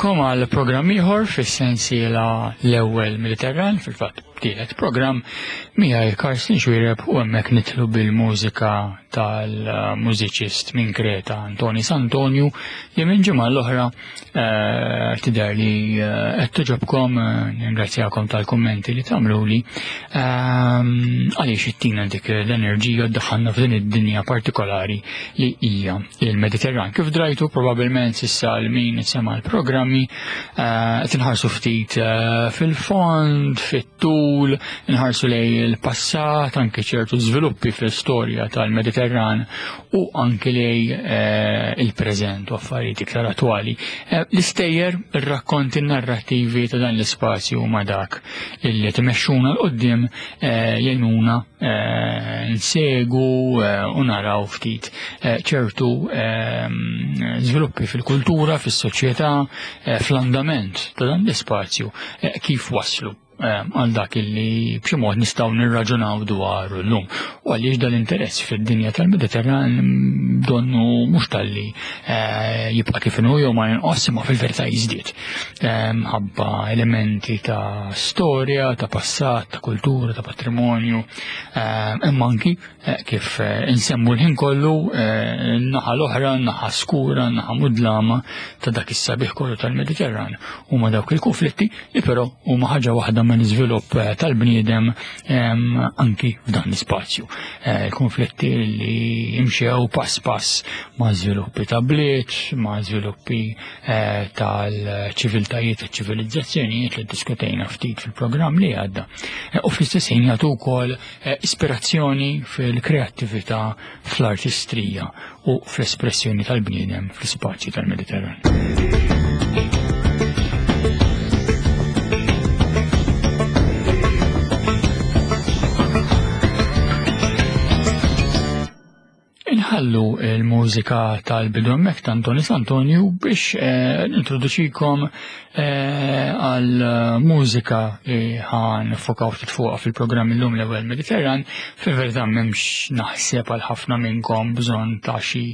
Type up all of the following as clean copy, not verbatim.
Nilqakom għal programm ieħor fis-sensiela l-ewwel Mediterran, fil-fatt tielet programm miegħi Karsten Xwireb u hemmhekk nitlu bil-mużika tal-mużiċist minn Kreta Antoni Santonju li minn ġimgħa l-oħra eh, tidher li eh, qed toġobkom eh, ningrazzjakom tal-kummenti li tagħmluli ehm, għaliex ittina dik l-enerġija ddaħħalna f'din id-dinja partikolari li hija il-Mediterran. Kif drajtu probabbilment s'issa l min sema l-programmi qed inħarsu ftit fil-fond, fit-tul, inħarsu lej il-passat, anke ċertu żviluppi fl-istorja tal-Mediterran u anke lej eh, il-preżent u affarijiet iktar attwali. Eh, l-istejjer, ir-rakkonti narrattivi ta' dan l-ispazju huma dak illi tmexxuna l qoddim eh, jgħinuna nsegu u naraw ftit ċertu żviluppi fil-kultura, fis-soċjetà, fl-andament ta' dan l-ispazju kif waslu Eh, għal dak illi b'xi mod nistgħu nirraġunaw dwaru llum. U għaliex dal-interess fid-dinja tal-Mediterran donnu mhux talli eh, jibqa' kif inhu jew ma jinqos imma fil-verità jiżdied. Eh, ħabba elementi ta' storja, ta' passat, ta' kultura, ta' patrimonju, imma anki Eh, kif eh, insemmu l-ħin kollu eh, naħa l-oħra, naħa skura, naħa mudlama ta' dak is-sabiħ kollu tal-Mediterran. Huma dawk il-konflitti li però huma ħaġa waħda ma' l-iżvilupp tal-bniedem anki f'dan l-ispazju. Konflitti li jimxew pass pass ma' żviluppi ta' bliet, ma' żviluppi tal-ċiviltajiet u ċivilizzazzjonijiet li diskutejna ftit fil-programm li għadda. U fl-istess ħin jagħtu wkoll Eh, ispirazzjoni fil-kreattività, fl-artistrija u fl-espressjoni tal-bniedem fl-ispazju tal-Mediterran. Inħallu il-mużika tal-bidu hemmhekk ta' Antoni Santonju biex eh, nintroduċikom eh, għal mużika li ħan fokaw ftit fuqha fil-programm illum l-ewwel Mediterran, fil-verità m'hemmx naħseb għal ħafna minnkom bżonn ta' xi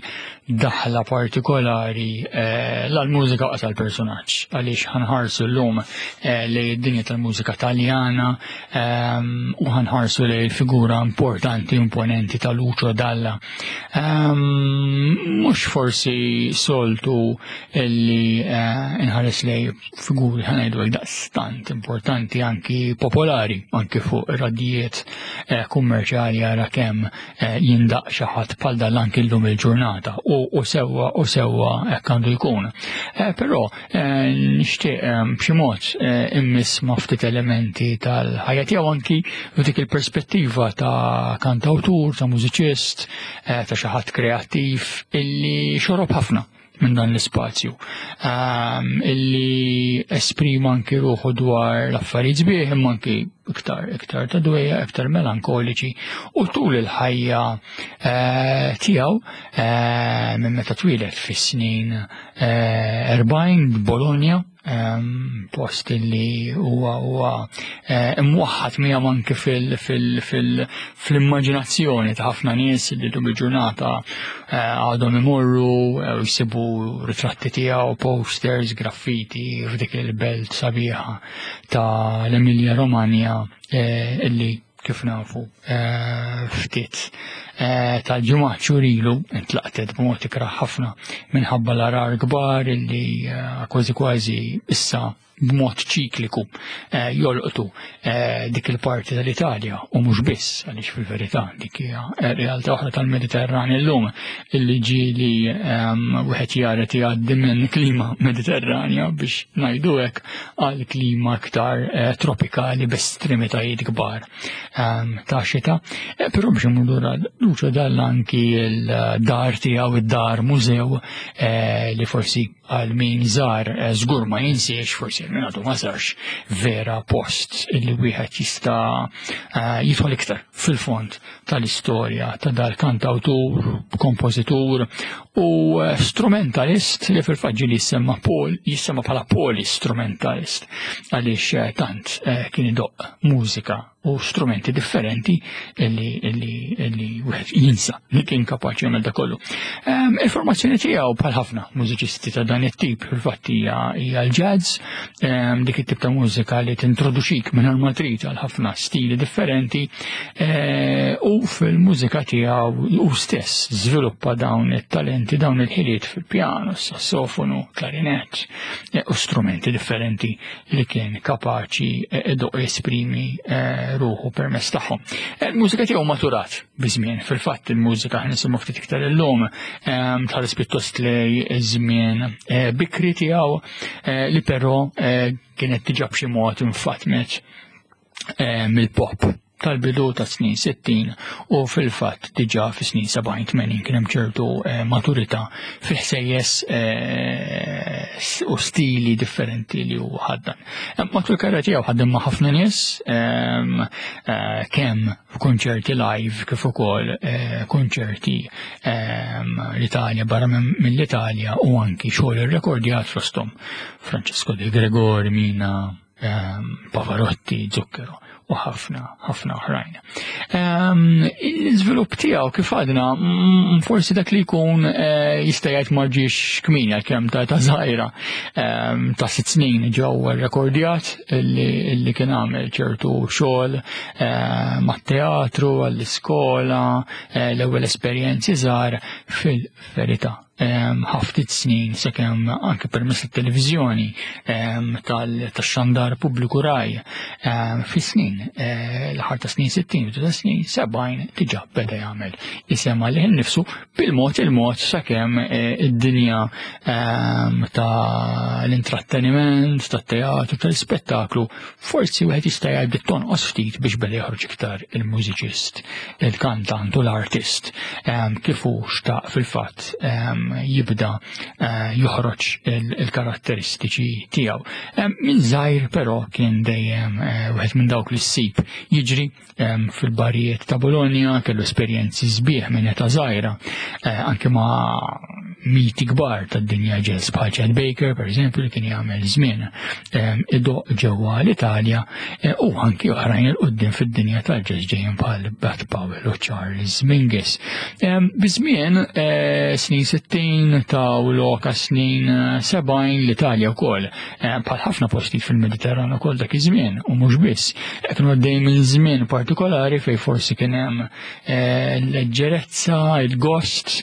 daħla partikolari eh, l-mużika qas għal-personaġġ għaliex ħanħarsu llum li d-dinja tal-mużika Taljana Ehm, u ħanħarsu li l-figura importanti, imponenti ta' Lucio Dalla. Ehm, mhux forsi soltu illi eh, inħares lej figuri ħanajdu daqstant importanti anki popolari, anki fuq radijiet eh, kummerċjali għara kemm eh, jindaq xi ħadd bħal dan anki llum il-ġurnata u sewwa u sewwa hekk għandu jkun. Però Eh, nixtieq eh, b'xi mod eh, immiss ma' ftit elementi tal-ħajja tiegħu anki f'dik il-perspettiva ta' kantawtur, ta' mużiċist, ta' xi ħadd kreattiv illi xorob ħafna minn dan l-ispazju ehm, illi esprima anki ruħu dwar l-affarijiet sbieħ imma anki iktar iktar ta' dwejja, iktar melankoliċi u tul il-ħajja tiegħu minn meta twieled fis-snin 40 eh, Bologna, ehm, post li huwa huwa eh, imwaħħad miegħu anke fil-immaġinazzjoni ta' ħafna nies li dum il-ġurnata eh, għadhom imorru u jsibu ritratti tiegħu, posters, graffiti f'dik il-belt sabiħa ta' l-Emilia Romagna illi kif nafu eh, ftit eh, tal-ġimgħa xhur ilu intlaqtet b'mod ikrah ħafna minħabba l-arar kbar illi eh, kważi kważi issa b'mod ċikliku jolqtu dik il-parti tal-Italja u mhux biss għaliex fil-verità dik hija realtà oħra tal-Mediterran illum illi ġieli ehm, wieħed jara jgħaddi minn klima Mediterranja biex ngħidu hekk għal klima aktar eh, tropikali b'estremitajiet kbar ehm, ta' xita. Eh, però biex imur lura Lucio Dalla anki l-dar tiegħu id-dar mużew eh, li forsi għal min żar żgur ma jinsiex forsi min għadu ma sarx vera post li wieħed jista' jidħol iktar fil-fond tal-istorja ta' dal-kantawtur, kompożitur u eh, strumentalist li fil-fatt ġieli jissemma Paul, jissemma bħala polistrumentalist għaliex eh, tant eh, kien idoq mużika u strumenti differenti illi illi illi wieħed jinsa li kien kapaċi jagħmel da kollu. Ehm, il-formazzjoni tiegħu bħal ħafna mużiċisti ta' dan it-tip fil-fatt hija l-jazz, ehm, dik it-tip ta' mużika li tintroduċik minn ma trid għal ħafna stili differenti eh, u fil-mużika tiegħu u stess żviluppa dawn it-talenti, dawn il-ħiliet fil-pjano, sassofonu, klarinett eh, u strumenti differenti li kien kapaċi eh, idoq jesprimi eh, ruħu permezz tagħhom. Eh, il-mużika tiegħu maturat biż-żmien, fil-fatt il-mużika ħnisimgħu ftit iktar illum ehm, tħares pjuttost lej iż-żmien bikri tiegħu li però kienet diġà b'xi mod infatmet mill-pop tal-bidu ta' snin 60 u fil-fatt diġà fi snin 70-80 kien hemm ċertu eh, maturità fil-ħsejjes eh, u stili differenti li hu ħaddan. Eh, matul karriera tiegħu ħaddem ma' ħafna nies ehm, kemm f'kunċerti live kif ukoll kunċerti ehm, l-Italja barra mill-Italja u anki xogħol irrekordjat fosthom Francesco De Gregori, Mina, Ehm, Pavarotti, Zucchero u ħafna, ħafna oħrajn. Ehm, l-iżvilupp tiegħu kif għadna, mm, forsi dak li jkun eh, jista' jgħid ma ġiex kmin għalkemm ta' ta' żgħira ehm, ta' sitt snin ġew rekordjat li kien għamel ċertu xogħol eh, mat-teatru, għall-iskola, eh, l-ewwel esperjenzi żgħar fil-verità ħaftit snin sakemm anke permezz tat-televiżjoni tax-xandar pubbliku raj fi snin eh, l-aħħar ta' snin 60 u ta' snin 70 diġà beda jagħmel isem għalih innifsu bil-mod il-mod sakemm eh, id-dinja ta' l-intratteniment, tat-teatru, tal-ispettaklu Forsi wieħed jista' jgħid bdiet tonqos ftit biex beda joħroġ iktar il-mużiċist, il-kantant u l-artist ehm, kif hu xtaq fil-fatt ehm, jibda eh, joħroġ il-karatteristiċi tiegħu. Ehm, minn żgħir però kien dejjem eh, wieħed minn dawk li ssib jiġri fil-barijiet ta' Bologna, kellu esperjenzi sbieħ minn età żgħira, eh, anke ma' miti kbar tad-dinja jazz bħal Chad Baker, per eżempju, li kien jagħmel żmien idoq ġewwa l-Italja eh, u anki oħrajn il qudiem fid-dinja tal-jazz ġejjin bħal Bud Powell u Charles Mingus. Biż-żmien eh, snin 60 ta' u loka snin 70 l-Italja wkoll Eh, bħal ħafna postijiet fil-Mediterran ukoll dak iż-żmien u mhux biss. Eh, kienu għaddej minn żmien partikolari fejn forsi kien hemm eh, l-leġġerezza, il-gost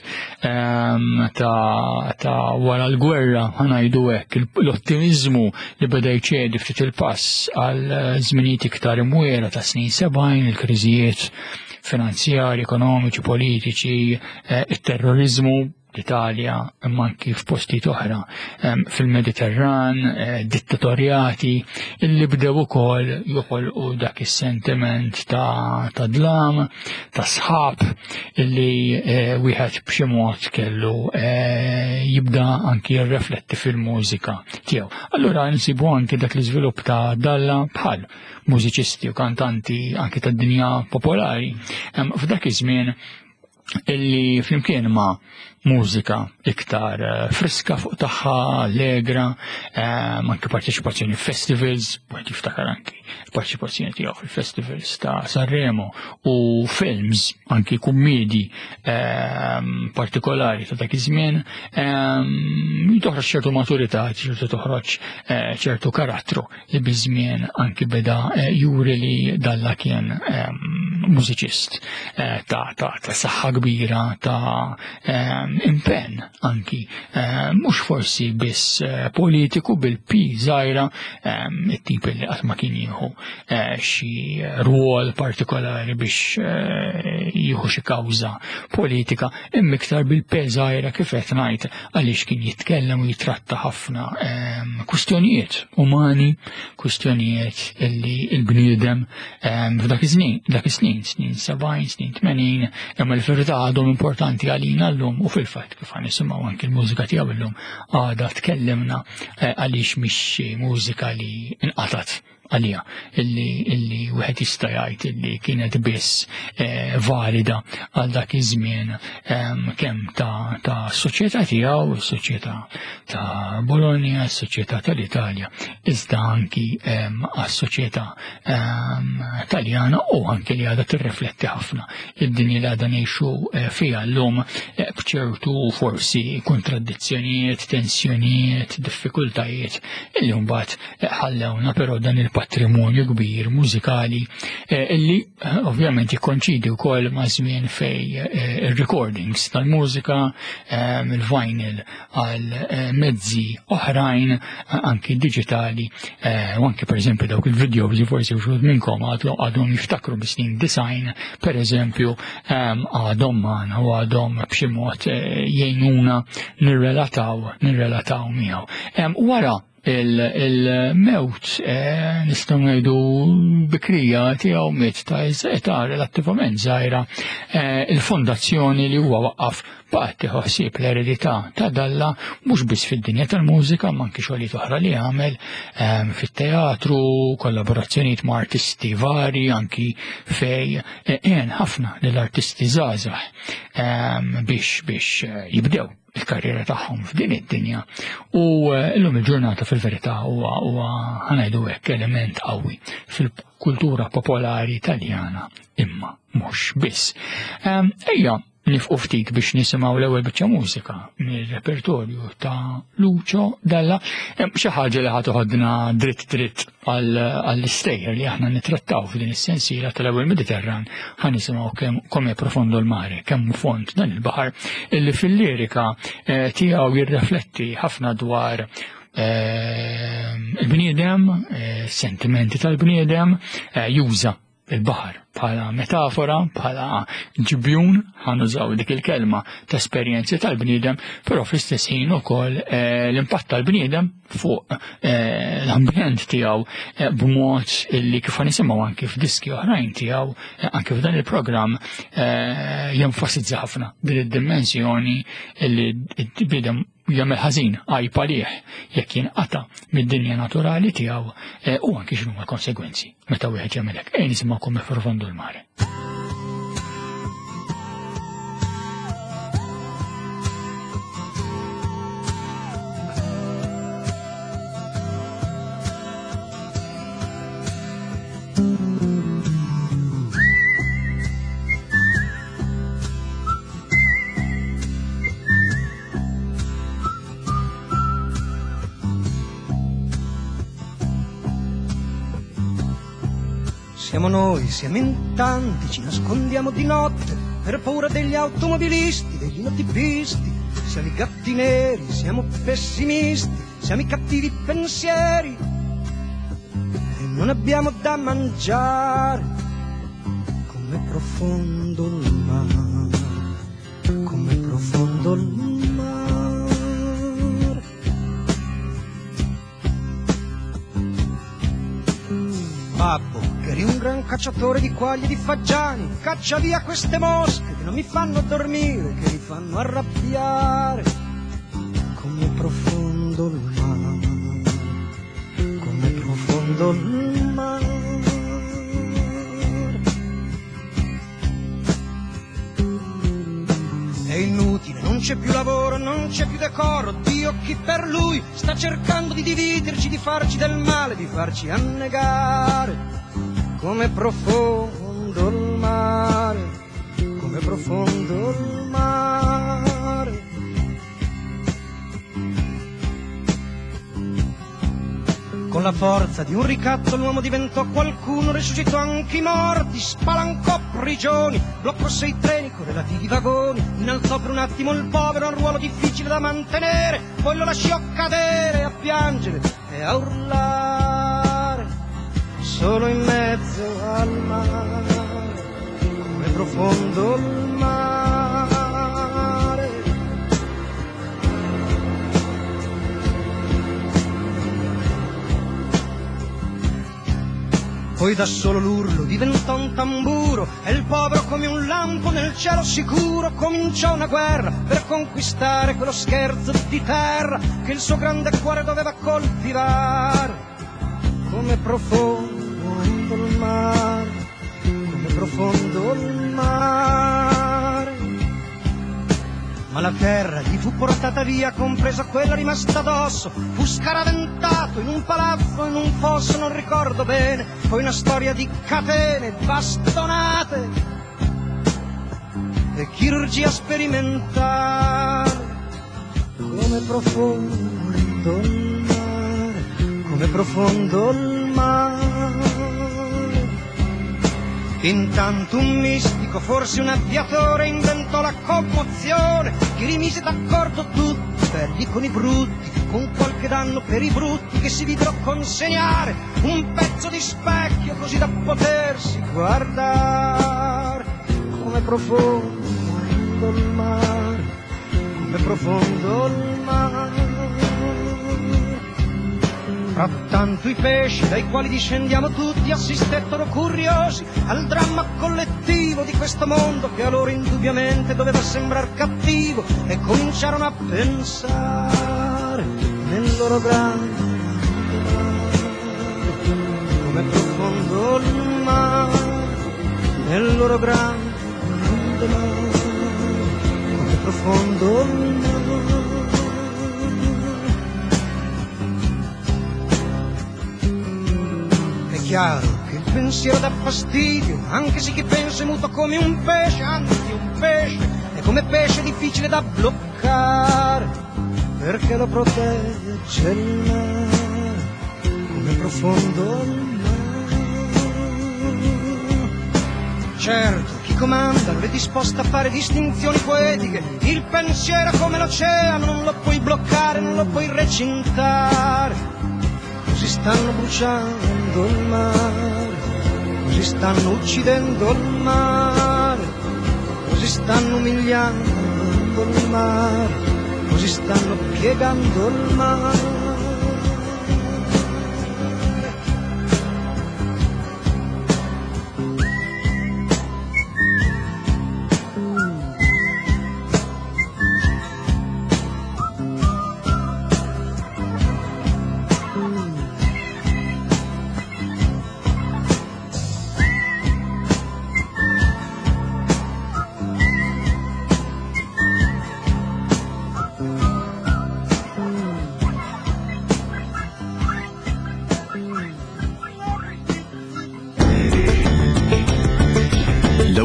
ehm, ta' wara l-gwerra ħanajdu hekk, l-ottimizmu li beda jċedi ftit il-pass għal żminijiet iktar imwiera ta' snin 70, il-kriżijiet finanzjari, ekonomiċi, politiċi, it-terrorizmu l-Italja, imma anki f'postijiet oħra fil-Mediterran, eh, dittatorjati, illi bdew ukoll joħolqu dak is-sentiment ta', ta dlam, ta' sħab, illi eh, wieħed b'xi mod kellu eh, jibda anki jirrefletti fil-mużika tiegħu. Allura nsibu anki dak l-iżvilupp ta' Dalla bħal mużiċisti u kantanti anki tad-dinja popolari. F'dak iż-żmien illi flimkien ma' mużika iktar eh, friska fuq tagħha, allegra, eh, anke parteċipazzjoni festivals, wieħed jiftakar anki parteċipazzjoni tiegħu fil-festivals ta' Sanremo u films anki kummedi eh, partikolari ta' dak iż-żmien, toħroġ ċertu maturità, ċertu toħroġ ċertu karattru li biż-żmien anki beda eh, juri li Dalla kien ehm, mużiċist eh, ta' ta' ta' saħħa kbira ta' ehm, impenn anki eh, mhux forsi biss politiku bil-P żgħira ehm, it-tip li qatt ma kien jieħu xi rwol partikolari biex jieħu xi kawża politika imma iktar bil-P żgħira kif qed ngħid għaliex kien jitkellem u jitratta ħafna ehm, kwistjonijiet umani, kwistjonijiet illi il-bniedem ehm, f'dak iż-żmien, dak is-snin, snin 70, snin 80, imma l-verità għadhom importanti għalina llum u fil-fatt kif għan nisimgħu anki l-mużika tiegħu llum għadha tkellimna eh, għaliex mhix mużika li inqatat. għalija illi, illi wieħed jista' jgħid illi kienet biss eh, valida għal dak iż-żmien ehm, kemm ta', ta soċjetà tiegħu, is-soċjetà ta' Bologna, is-soċjetà tal-Italja, iżda anki ehm, għas-soċjetà ehm, Taljana u anki li għadha tirrifletti ħafna id-dinja li għadha ngħixu eh, fiha llum eh, b'ċertu forsi kontradizzjonijiet, tensjonijiet, diffikultajiet illi mbagħad ħallewna però dan il-patrimonju kbir mużikali eh, illi eh, ovvjament jikkonċidi wkoll ma' żmien fej eh, ir-recordings tal-mużika, il-vinyl għal mezzi oħrajn anki digitali u anki pereżempju dawk il-videos li forsi wxud minnkom għadhom jiftakru bis-snin design pereżempju għadhom magħna u għadhom b'xi mod jgħinuna nirrelataw nirrelataw miegħu. Wara il-mewt eh, nistgħu ngħidu bikrija tiegħu miet ta' età relattivament żgħira eh, il-fondazzjoni li huwa waqqaf baqgħet tieħu ħsieb l-eredità ta' Dalla mhux biss fid-dinja tal-mużika ma anki xogħlijiet oħra li għamel eh, fit-teatru, kollaborazzjonijiet ma' artisti vari, anki fej għen ħafna lill-artisti żgħażagħ biex biex jibdew il-karriera tagħhom f'din id-dinja u eh, llum il-ġurnata fil-verità huwa huwa ħanajdu hekk element qawwi fil-kultura popolari Taljana imma mhux biss. Ehm, ejja nifqu ftit biex nisimgħu l-ewwel biċċa mużika mir-repertorju ta' Lucio Dalla, ehm, xi ħaġa li ħad toħodna dritt dritt għall-istejjer li aħna nitrattaw f'din is-sensiela tal-ewwel Mediterran ħa nisimgħu kemm come profondo l-mare, kemm fond dan il-baħar illi fil-lirika eh, tiegħu jirrefletti ħafna dwar eh, il-bniedem, eh, sentimenti tal-bniedem, juża il-baħar bħala metafora, bħala ġibjun, ħanużaw dik il-kelma ta' esperjenzi tal-bniedem, però fl-istess ħin ukoll eh, l-impatt tal-bniedem fuq eh, l-ambjent tiegħu eh, b'mod li kif nisimgħu anki f'diski oħrajn tiegħu, anki f'dan il-programm jenfasizza ħafna din id-dimensjoni li l-bniedem jagħmel ħażin għajb għalih jekk jinqata' mid-dinja naturali tiegħu eh, u anki x'inhuma l-konsegwenzi meta wieħed jagħmel hekk. Ejn nisimgħu come profondo il mare. Siamo noi, siamo in tanti, ci nascondiamo di notte per paura degli automobilisti, degli notipisti. Siamo i gatti neri, siamo pessimisti, siamo i cattivi pensieri e non abbiamo da mangiare. Come profondo il mare, come profondo il mare. Babbo, che eri un gran cacciatore di quaglie e di fagiani, caccia via queste mosche che non mi fanno dormire, che mi fanno arrabbiare. Come profondo il mare, come profondo il mare. È inutile, non c'è più lavoro, non c'è più decoro. Dio chi per lui sta cercando di dividerci, di farci del male, di farci annegare. Come profondo il mare, come profondo il mare. Con la forza di un ricatto l'uomo diventò qualcuno, risuscitò anche i morti, spalancò prigioni, bloccò sei treni con relativi vagoni, innalzò per un attimo il povero a un ruolo difficile da mantenere, poi lo lasciò cadere a piangere e a urlare, solo in mezzo al mare, come profondo il mare. Poi da solo l'urlo diventò un tamburo e il povero come un lampo nel cielo sicuro cominciò una guerra per conquistare quello scherzo di terra che il suo grande cuore doveva coltivare. Come profondo il mare, come profondo il mare. Ma la terra gli fu portata via, compresa quella rimasta addosso. Fu scaraventato in un palazzo, in un fosso, non ricordo bene. Poi una storia di catene, bastonate e chirurgia sperimentale. Come profondo il mare, come profondo il mare. Intanto un mistico, forse un avviatore, inventò la commozione che rimise d'accordo tutti, belli con i brutti, con qualche danno per i brutti che si videro consegnare un pezzo di specchio così da potersi guardare. Come profondo il mare, come profondo il mare. Frattanto i pesci dai quali discendiamo tutti assistettero curiosi al dramma collettivo di questo mondo che a loro indubbiamente doveva sembrar cattivo e cominciarono a pensare nel loro grande mare, come profondo il mare, nel loro grande mare, come profondo il mare. È chiaro che il pensiero dà fastidio, anche se chi pensa è muto come un pesce, anzi un pesce, è come pesce difficile da bloccare, perché lo protegge il mare, come profondo il mare. Certo, chi comanda non è disposto a fare distinzioni poetiche, il pensiero è come l'oceano, non lo puoi bloccare, non lo puoi recintare. Così stanno bruciando il mare, così stanno uccidendo il mare, così stanno umiliando il mare, così stanno piegando il mare.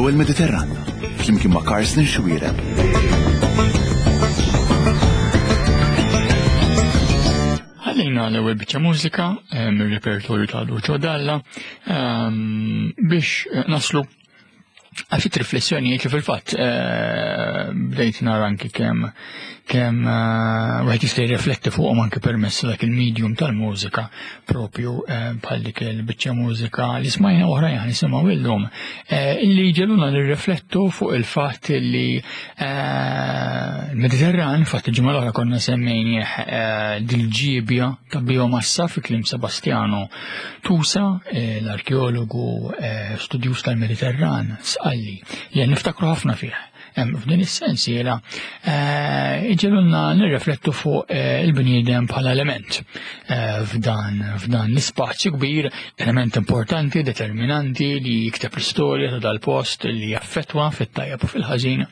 L-ewwel Mediterran, flimkien ma' Carsten Xuereb. Ħallejna l-ewwel biċċa mużika eh, mir-repertorju ta' Lucio Dalla ehm, biex eh, naslu għal ftit riflessjonijiet li fil-fatt eh, bdejt nara anki kemm kemm eh, wieħed jista' jirrifletti fuqhom anki permezz dak il-medium tal-mużika propju eh, bħal dik il-biċċa mużika li smajna oħrajn ħa nisimgħu illum illi ġeluna nirriflettu fuq il-fatt li l-Mediterran, fatt il-ġimgħa l-oħra konna semmejnieh dil-ġiebja ta' biomassa fi kliem Sebastiano Tusa, l-arkeologu studjuż tal-Mediterran, sqalli li niftakru ħafna fih. F'din is-sensiela iġelunna nirriflettu fuq il-bniedem bħala element f'dan f'dan l-ispazju kbir, element importanti, determinanti li jikteb l-istorja ta' dal-post li jaffettwa fit-tajjeb u fil-ħażin,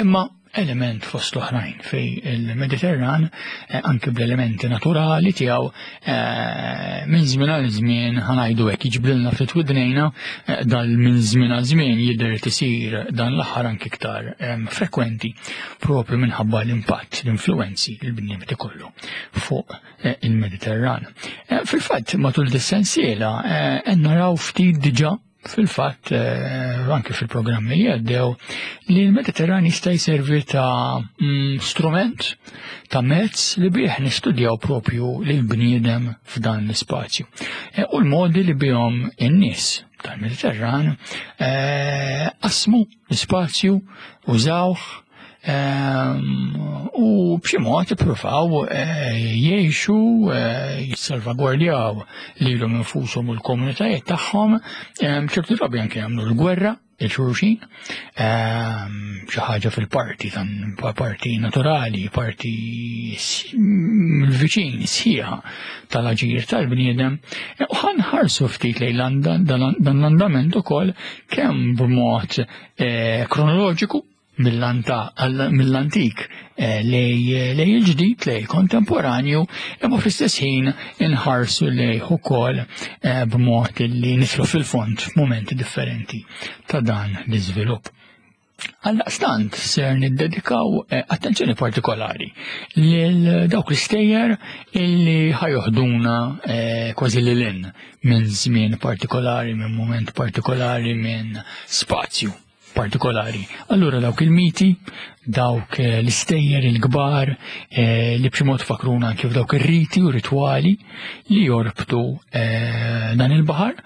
imma element fost l-oħrajn fej il-Mediterran eh, anki bl-elementi naturali tiegħu eh, minn żmien għal żmien ħanajdu hekk jiġbrilna ftit widnejna eh, dal minn żmien għal żmien jidher tisir dan l-aħħar anki iktar frekwenti propju minħabba l-impatt, l-influenzi li l-bniedem ikollu fuq il-Mediterran. Fil-fatt matul dis-sensiela qed naraw ftit diġà Fil-fatt, eh, anke fil-programmi li għaddew, li l-Mediterran jista' jservi ta' mm, strument, ta' mezz li bih nistudjaw propju lil bniedem f'dan l-ispazju. Eh, u l-modi li bihom in-nies tal-Mediterran eh, qasmu l-ispazju, użawh, Ehm, u b'xi mod ippruvaw eh, jgħixu eh, jissalvagwardjaw lilhom infushom u l-komunitajiet tagħhom ehm, ċertu drabi anke jagħmlu l-gwerra il-xulxin, xi ħaġa fil-parti tan parti naturali, parti viċin sħiħa tal-aġir tal-bniedem, e, u ħanħarsu ftit lejn dan l-andament ukoll kemm b'mod e, kronoloġiku mill-antik eh, lej il-ġdid, lej il-kontemporanju, imma fl-istess ħin inħarsu lejh ukoll eh, b'mod li nitlu fil-fond f'mumenti differenti ta' dan l-iżvilupp. Għaldaqstant ser niddedikaw eh, attenzjoni partikolari lil dawk l-istejjer illi ħajoħduna kważi lil minn żmien partikolari, minn moment partikolari, minn spazju partikolari. Allura dawk il-miti, dawk eh, l-istejjer il-kbar eh, li b'xi mod fakruna anke f'dawk ir-riti u ritwali li jorbtu eh, dan il-baħar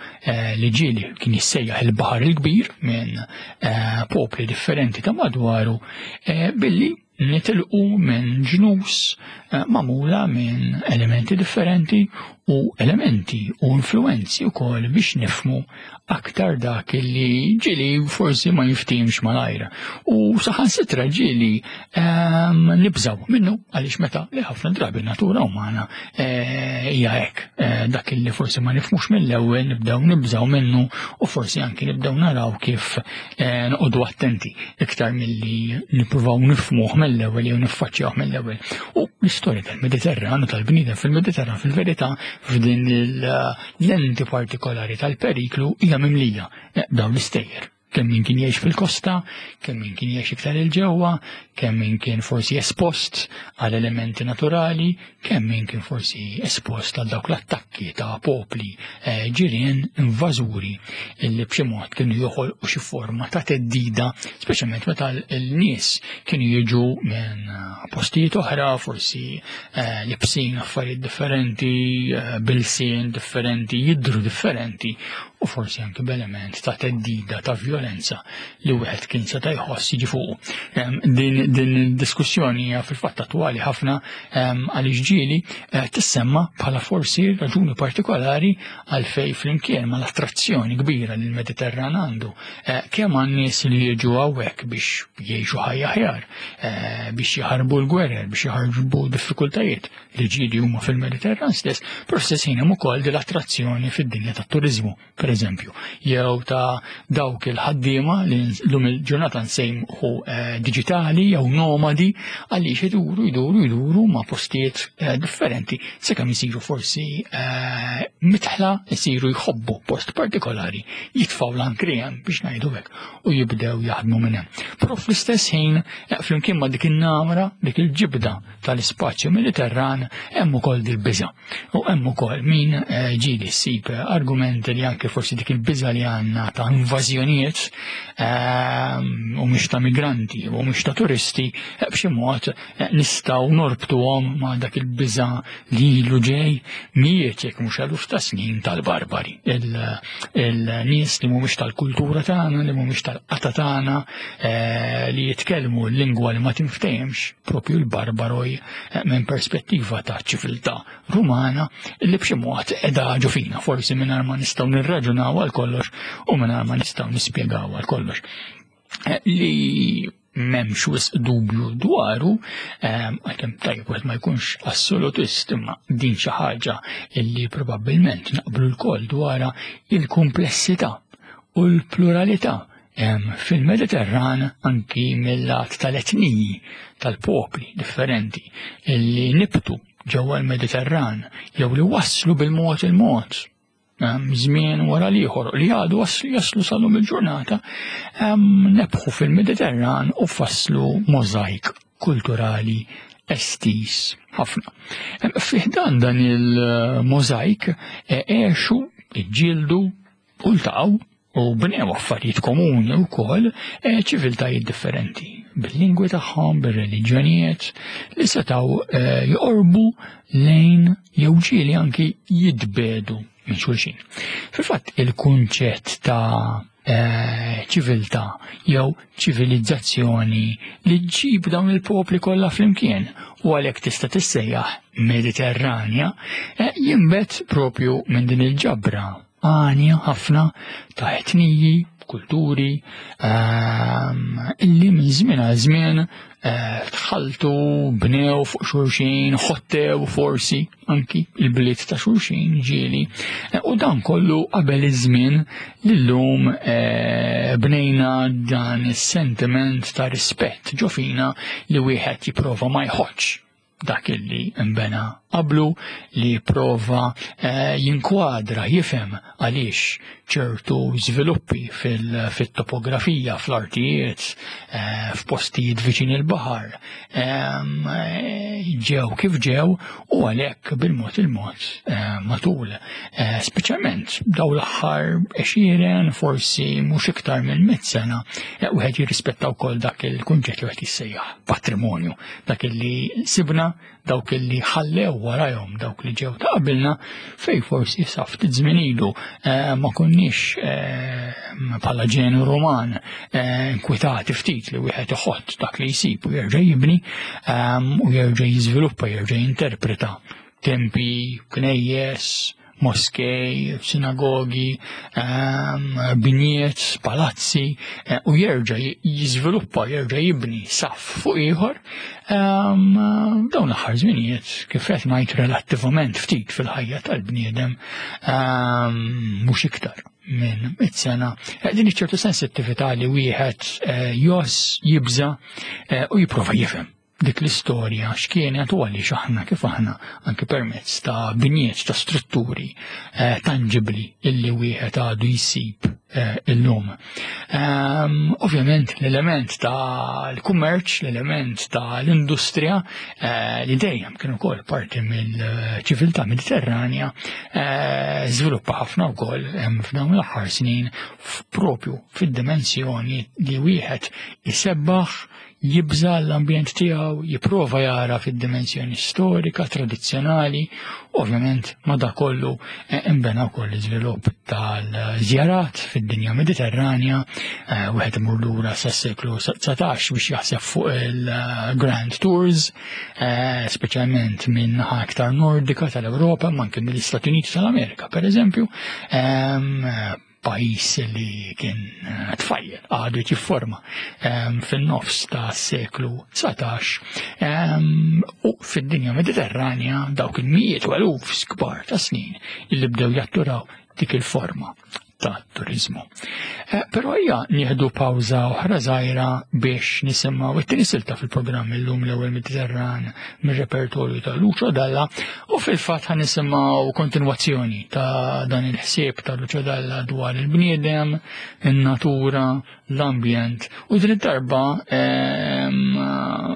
li ġieli kien jissejjaħ il-baħar il-kbir minn popli differenti ta' madwaru billi nitilqu minn ġnus eh, magħmula minn elementi differenti u elementi u influenzi wkoll biex nifmu aktar dak li ġili forsi ma jiftimx malajr. U saħansitra ġili ehm, nibżaw minnu għaliex meta li ħafna drabi natura umana eh, hija hekk eh, dak li forsi ma nifmux mill-ewwel nibdew nibżaw minnu u forsi anki nibdew naraw kif eh, noqogħdu attenti iktar milli nippruvaw nifmuh mill-ewwel jew niffaċċjawh mill-ewwel. U l-istorja tal-Mediterran u tal-bniedem fil-Mediterran fil-verità f'din l-lenti partikolari tal-periklu hija mimlija eh, dawn l-istejjer kemm min kien jgħix fil-kosta, kemm min kien jgħix iktar il-ġewwa, kemm min kien forsi espost għal elementi naturali, kemm min kien forsi espost għal dawk l-attakki ta' popli eh, ġirien invażuri illi b'xi mod kienu joħolqu xi forma ta' teddida, speċjalment meta l-nies kienu jiġu minn eh, postijiet oħra, forsi eh, libsin affarijiet differenti, bilsien differenti, jidru differenti u forsi anki b'element ta' teddida ta' violenza li wieħed kien seta' jħoss jiġi fuqu. Din din diskussjoni hija fil-fatt attwali ħafna għaliex ġieli eh, tissemma bħala forsi raġuni partikolari għalfej flimkien ma l-attrazzjoni kbira li l-Mediterran għandu eh, kemm għan nies li jiġu hawnhekk biex jgħixu ħajja aħjar, eh, biex jaħarbu l-gwerer, biex jaħarbu diffikultajiet li ġieli huma fil-Mediterran stess, però stess ħin hemm ukoll l-attrazzjoni fid-dinja tat-turiżmu per eżempju, jew ta' dawk il-ħaddiema li l-lum il-ġurnata nsejmħu eh, digitali jew nomadi għaliex iduru iduru iduru ma' postijiet eh, differenti sakemm isiru forsi eh, mitħla isiru jħobbu post partikolari jitfaw l-ankri hemm biex ngħidu hekk u jibdew jaħdmu minn hemm. Però fl-istess ħin flimkien ma' dik in-namra, dik il-ġibda tal-ispazju Mediterran hemm ukoll dil-biża'. U hemm ukoll min eh, ġieli ssib argumenti li anke forsi dik il-biża li għandna ta' invażjonijiet ehm, u mhux ta' migranti u mhux ta' turisti eh, b'xi mod eh, nistgħu norbtuhom ma' dak il-biża li ilu ġej mijiet jekk mhux eluf ta' snin tal-barbari. Il-nies li mhumiex tal-kultura tagħna, li mhumiex tal-qata tagħna, li jitkellmu l-lingwa li ma tinftehemx, propju l-barbaroj eh, minn perspettiva ta' ċiviltà rumana li b'xi mod edha ġo fina, forsi mingħajr ma nistgħu nirraġunaw għal kollox u mingħajr ma nistgħu nispjegaw għal kollox. Eh, li memx wisq dubju dwaru, eh, għalkemm tajjeb wieħed ma jkunx assolutist imma din xi ħaġa illi probabbilment naqblu l-koll dwarha il-kumplessità u l-pluralità fil-Mediterran anki mill-lat tal-etniji tal-popli differenti li nibtu ġewwa l-Mediterran jew li waslu bil-mod il-mod żmien wara l-ieħor li għadu jaslu sal-lum il-ġurnata nebħu fil-Mediterran u fasslu mozaik kulturali estis ħafna. Fiħdan dan il-mozaik e, għexu, iġġieldu u ltaqgħu u bnew affarijiet komuni wkoll eh, ċiviltajiet differenti bil-lingwi tagħhom, bir-reliġjonijiet li setgħu eh, joqorbu lejn jew ġieli anki jitbedu minn xulxin. Fil-fatt il-kunċett ta' eh, ċiviltà jew ċivilizzazzjoni li ġġib dawn il-popli kollha flimkien u għalhekk tista' tissejjaħ Mediterranja jinbet propju minn din il-ġabra għanja ħafna ta' etniji, kulturi ehm, illi minn żmien għal żmien eh, tħaltu, bnew fuq xulxin, ħottew forsi anki il-bliet ta' xulxin ġieli. Eh, u dan kollu qabel iż-żmien li llum eh, bnejna dan is-sentiment ta' rispett ġofina li wieħed jipprova ma jħoddx dak illi imbena qablu li jipprova eh, jinkwadra, jifhem għaliex ċertu żviluppi fil-topografija, fl-artijiet, eh, f'postijiet viċin il-baħar, eh, ġew kif ġew u għalhekk bil-mod il-mod matul. Speċjalment daw l-aħħar għexieren, forsi mhux iktar minn mit sena, wieħed jirrispetta wkoll dak il-kunċett li wieħed jissejjaħ patrimonju dak illi sibna, dawk illi ħallew warajhom dawk li ġew ta' qabilna, fej forsi sa ftit żmien ilu eh, ma konniex eh, bħala ġenu Ruman eh, inkwitati ftit li wieħed iħott dak li jsib u jerġa' jibni u jerġa' jiżviluppa, jerġa' jinterpreta tempi, knejjes, moskej, sinagogi, ehm, binjiet, palazzi, eh, u jerġa' jiżviluppa, jerġa' jibni saf fuq ieħor. Ehm, dawn l-aħħar żminijiet kif qed ngħid relattivament ftit fil-ħajja tal-bniedem ehm, mhux iktar minn mit sena. Eh, din iċ-ċertu sensittività li wieħed eh, jos, jibża u jipprova jifhem dik l-istorja x'kienet u għaliex aħna kif aħna anke permezz ta' binjiet ta' strutturi eh, tangibli illi wieħed għadu jsib eh, illum. Ehm, ovvjament l-element ta' l-kummerċ, l-element ta' l-industrija eh, li dejjem kien ukoll parti mill-ċiviltà mediterranja żviluppa ħafna wkoll f'dawn l-aħħar snin propju fid-dimensjoni li wieħed isebbaħ jibża' l-ambjent tiegħu, jipprova jara fid-dimensjoni storika, tradizzjonali, ovvjament ma da kollu eh, imbena wkoll l-iżvilupp tal-żjarat fid-dinja Mediterranja, eh, wieħed imur lura sas-seklu 19 biex jaħseb fuq il-Grand Tours, eh, speċjalment minn naħa aktar nordika tal-Ewropa, ma anke mill-Istati Uniti tal-Amerika, per eżempju, ehm, pajjiż li kien eh, tfajjel għadu jifforma ehm, fin-nofs ta' seklu 19 ehm, u fid-dinja Mediterranja dawk il-mijiet u eluf kbar ta' snin li bdew jatturaw dik il-forma ta' turizmu. Eh, però hija nieħdu pawża oħra żgħira biex nisimgħu it-tieni silta fil-programm illum l-ewwel Mediterran mir-repertorju ta' Lucio Dalla u fil-fatt ħan nisimgħu kontinwazzjoni ta' dan il-ħsieb ta' Lucio Dalla dwar il-bniedem, in-natura, l-ambjent u din id-darba ehm,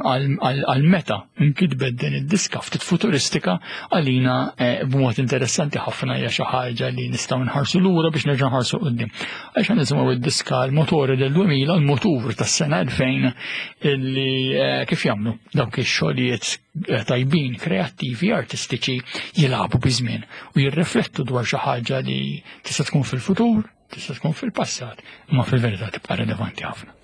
għal meta nkitbet din id-diska ftit futuristika għalina eh, b'mod interessanti ħafna hija xi ħaġa li nistgħu nħarsu lura biex nerġa' nħarsu qudiem. Għax nisimgħu id-diska l-motori del 2000 l-motur tas-sena 2000 illi eh, kif jagħmlu dawk ix-xogħlijiet eh, tajbin, kreattivi, artistiċi jilagħbu biż-żmien u jirriflettu dwar xi ħaġa li tista' tkun fil-futur, tista' tkun fil-passat, imma fil-verità tibqa' rilevanti ħafna.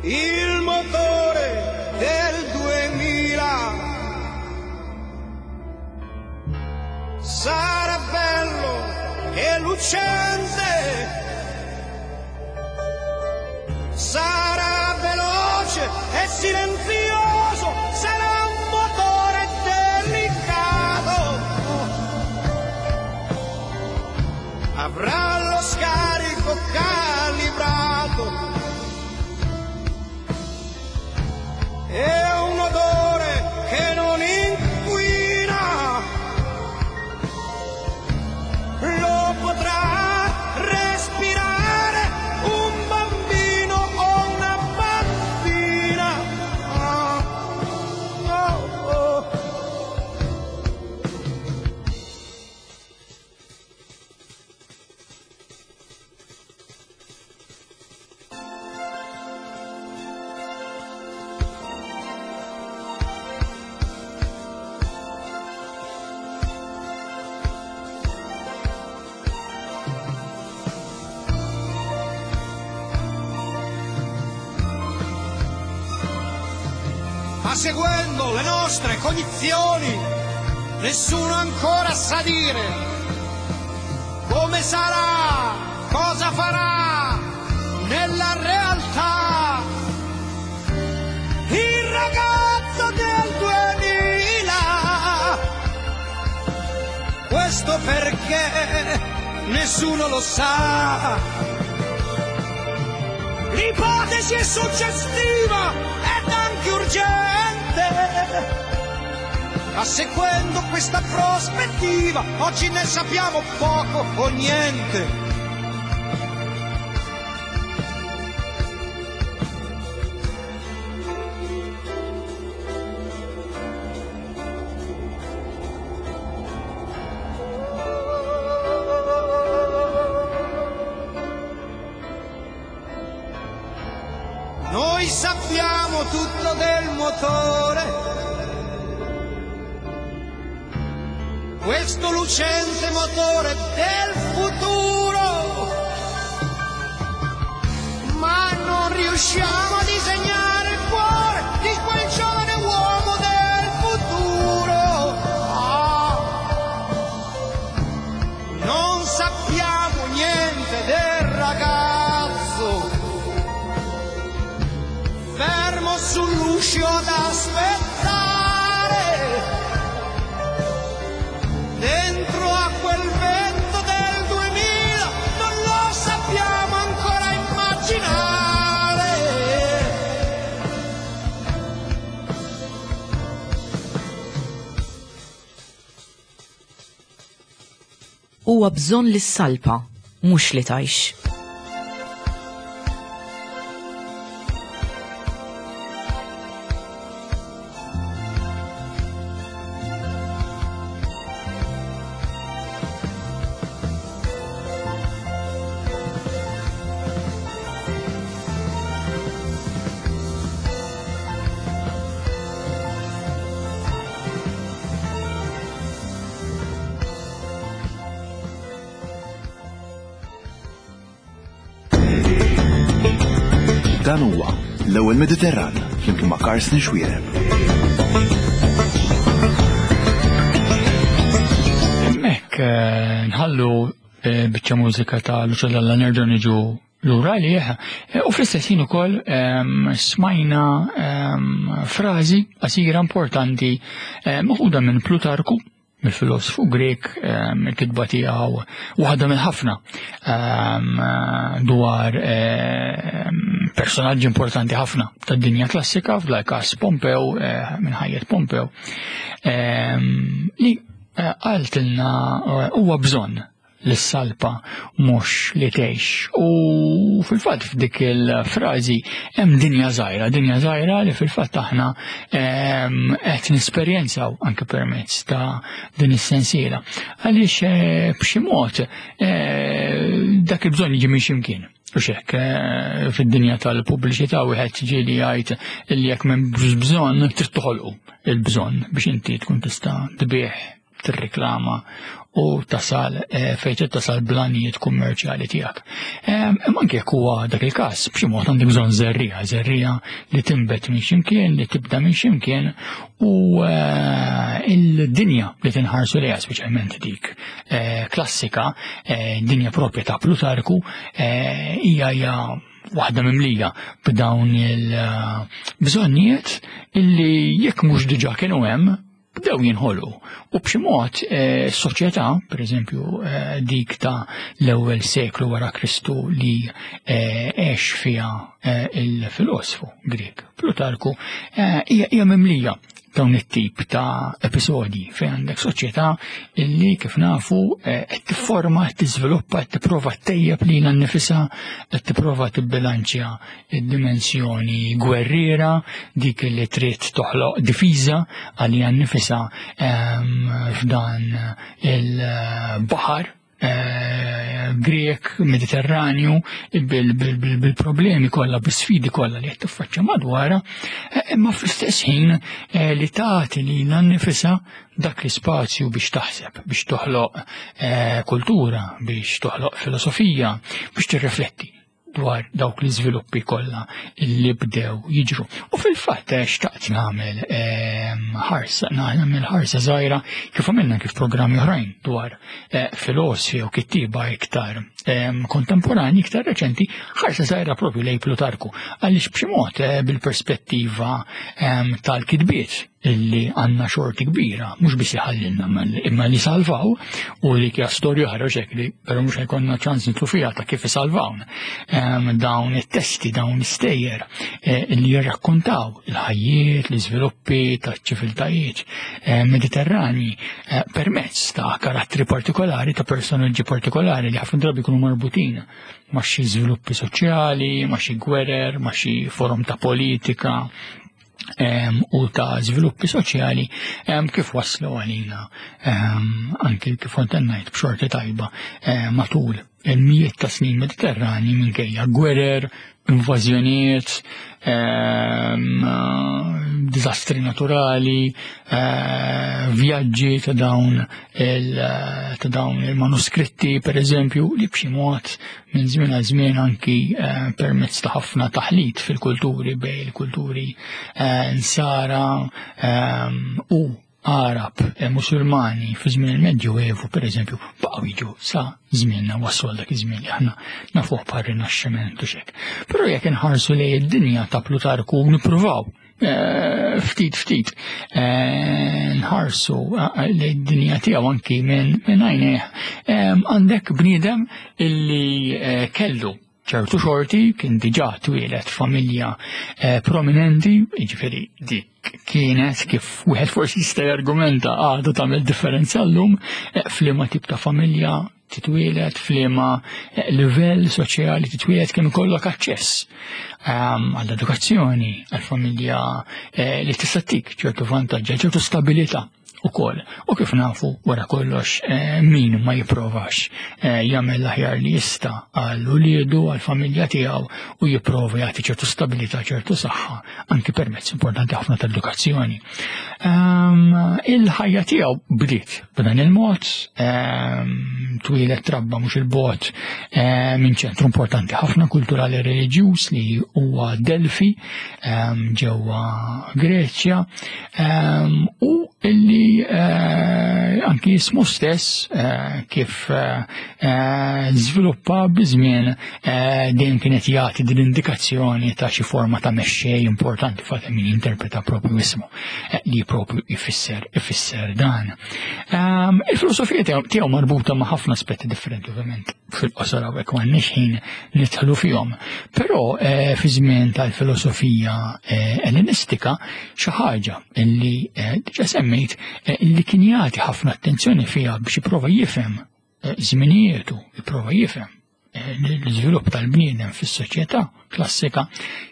Il motore del 2000 sarà bello e lucente, sarà veloce e silenzioso, sarà un motore delicato. Avrà lo scarico calibrato e un odore che non inquina. Lo potrà respirare un bambino o una bambina. Ah, oh, oh. Ma seguendo le nostre cognizioni, nessuno ancora sa dire come sarà, cosa farà nella realtà. Il ragazzo del 2000, questo perché nessuno lo sa. L'ipotesi è suggestiva ed anche urgente. Ma seguendo questa prospettiva, oggi ne sappiamo poco o niente. Noi sappiamo tutto del motore, questo lucente motore del futuro, ma non riusciamo a disegnare il cuore di quel giovane uomo del futuro. Ah, non sappiamo niente del ragazzo fermo sull'uscio ad aspettare, dentro a quel vento del 2000 non lo sappiamo ancora immaginare. Huwa bżonn li ssalpa, mhux li tgħix. Dan huwa l-ewwel Mediterran flimkien ma' Carsten Xuereb. Hemmhekk eh, nħallu eh, biċċa mużika ta' Lucio Dalla nerġgħu niġu lura għalih eh, u fl-istess ħin ukoll ehm, smajna ehm, frażi qasira importanti maħuda minn Plutarku mill-filosofu Grek, ehm, il-kitba tiegħu waħda mill-ħafna ehm, dwar ehm, personaġġi importanti ħafna tad-dinja klassika, f'dal każ Pompew, eh, minn ħajjet Pompew, li eh, qaltilna eh, huwa bżonn l-salpa mhux li tgħix. U fil-fatt f'dik il-frażi hemm dinja żgħira, dinja żgħira li fil-fatt aħna ehm, qed nesperjenzaw anke permezz ta' din is-sensiela. Għaliex eh, b'xi mod eh, dak il-bżonn jiġi minn x'imkien. U xek, eh, fid-dinja tal-pubbliċità wieħed ġieli jgħid li jekk m'hemm bżonn trid toħolqu il-bżonn biex inti tkun tista' tbieħ tirriklama u tasal eh, fejn trid tasal blanijiet kummerċjali tiegħek. Imma anke jekk huwa dak il-każ, b'xi mod għandek bżonn żerriegħa, żerriegħa li tinbet minn x'imkien, li tibda minn x'imkien u eh, il-dinja li tinħarsu lejha speċjalment dik eh, klassika, dinja propja ta' Plutarku, hija hija waħda mimlija b'dawn il-bżonnijiet illi jekk mhux diġà kienu hemm, bdew jinħolqu. U b'xi mod eh, soċjetà, pereżempju eh, dik ta' l-ewwel seklu wara Kristu li eh, għex fiha il-filosfu Grek Plutarku, hija mimlija dawn it-tip ta' episodji fejn għandek soċjetà illi kif nafu qed tifforma, qed tiżviluppa, qed tipprova ttejjeb lilha nnifisha, qed tipprova tibbilanċja id-dimensjoni gwerriera, dik li trid toħloq difiża għaliha nnifisha ehm, f'dan il-baħar eh, Grek, Mediterranju, bil-problemi kollha, bis-sfidi kollha li qed tiffaċċja madwarha, eh, imma fl-istess ħin eh, li tagħti lilha nnifisha dak l-ispazju biex taħseb, biex toħloq kultura, biex toħloq filosofija, biex tirrifletti. dwar dawk l-iżviluppi kollha li bdew jiġru. U fil-fatt eh, xtaqt nagħmel ehm, ħarsa, nagħmel ħarsa żgħira kif għamilna kif programmi oħrajn dwar eh, filosfi u kittiba iktar ehm, kontemporani, iktar reċenti, ħarsa żgħira propju lej Plutarku. Għaliex b'xi mod eh, bil-perspettiva ehm, tal-kitbiet illi għanna xorti kbira, mhux biss iħallilna imma li salvaw u li kja storja oħra xek li però mhux ħajkonna ċans nitlu fiha ta' kif isalvawna. Ehm, dawn it-testi, dawn l-istejjer eh, li jirrakkontaw il-ħajjiet, l-iżviluppi taċ-ċiviltajiet eh, mediterrani eh, permezz ta' karattri partikolari, ta' personaġġi partikolari li ħafna drabi jkunu marbutin ma' xi żviluppi soċjali, ma' xi gwerer, ma' xi forom ta' politika, u ta' żviluppi soċjali kif waslu għalina anki kif kont ngħid b'xorti tajba matul il-mijiet ta' snin Mediterrani minkejja gwerer, invażjonijiet, diżastri naturali, eh, vjaġġi ta' dawn ta' dawn il-manuskritti per eżempju li b'xi mod minn żmien għal żmien anki eh, permezz ta' ħafna taħlit fil-kulturi bej il-kulturi eh, nsara ehm, u Arab eh, Musulmani fi żmien il-Medju Evu per eżempju baqgħu jiġu sa żmienna waslu għal dak iż-żmien li aħna nafuh bħal rinaxximent u xek. Però jekk inħarsu lejn id-dinja ta' Plutarku nippruvaw eh, ftit ftit eh, nħarsu lejn id-dinja tiegħu anki minn għajnejh għandek bniedem illi kellu ċertu xorti kien diġà twieled familja eh, prominenti, jiġifieri dik kienet kif wieħed forsi jista' jargumenta għadu tagħmel differenza llum eh, f'liema tip ta' familja titwieled, f'liema eh, livell soċjali titwieled kemm ikollok aċċess ehm, għall-edukazzjoni, għall-familja li tista' tik ċertu vantaġġ, ċertu stabilità ukoll. U kif nafu wara kollox eh, min ma jipprovax eh, jagħmel l-aħjar li jista' għal uliedu, għal familja tiegħu u jipprova jagħti ċertu stabilità, ċertu saħħa, anki permezz importanti ħafna tal-edukazzjoni. Ehm, il-ħajja tiegħu bdiet b'dan il-mod, ehm, twieled trabba mhux il-bot eh, minn ċentru importanti ħafna kulturali reliġjuż li huwa Delfi ehm, ġewwa Greċja Ehm, u illi eh, anki jismu stess eh, kif eh, żviluppa biżmien dejjem kienet jagħti din indikazzjoni ta' xi forma ta' mexxej importanti fatt min jinterpreta propju ismu li propju ifisser ifisser dan. Ehm, il-filosofija tiegħu marbuta ma' ħafna aspetti differenti ovvjament fil-qosor hawnhekk m'għandniex ħin nidħlu fihom. Però eh, fi żmien tal-filosofija eh, ellenistika xi ħaġa li eh, diġà semmejt li kien jagħti ħafna attenzjoni fiha biex jipprova jifhem żminijietu, jipprova jifhem l-iżvilupp tal-bniedem fis-soċjetà klassika